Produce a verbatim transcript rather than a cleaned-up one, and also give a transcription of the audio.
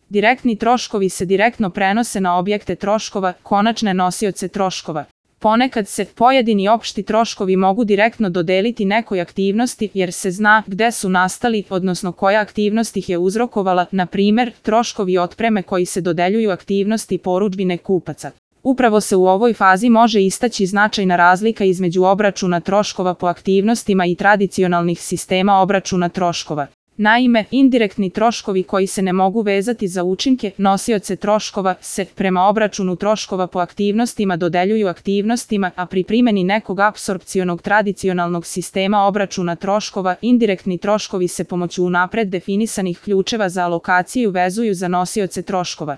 Direktni troškovi se direktno prenose na objekte troškova, konačne nosioce troškova. Ponekad se pojedini opšti troškovi mogu direktno dodeliti nekoj aktivnosti jer se zna gde su nastali, odnosno koja aktivnost ih je uzrokovala, na primer, troškovi otpreme koji se dodeljuju aktivnosti porudžbine kupaca. Upravo se u ovoj fazi može istaći značajna razlika između obračuna troškova po aktivnostima i tradicionalnih sistema obračuna troškova. Naime, indirektni troškovi koji se ne mogu vezati za učinke, nosioce troškova, se, prema obračunu troškova po aktivnostima dodeljuju aktivnostima, a pri primjeni nekog apsorpcionog tradicionalnog sistema obračuna troškova, indirektni troškovi se pomoću unapred definisanih ključeva za alokaciju vezuju za nosioce troškova.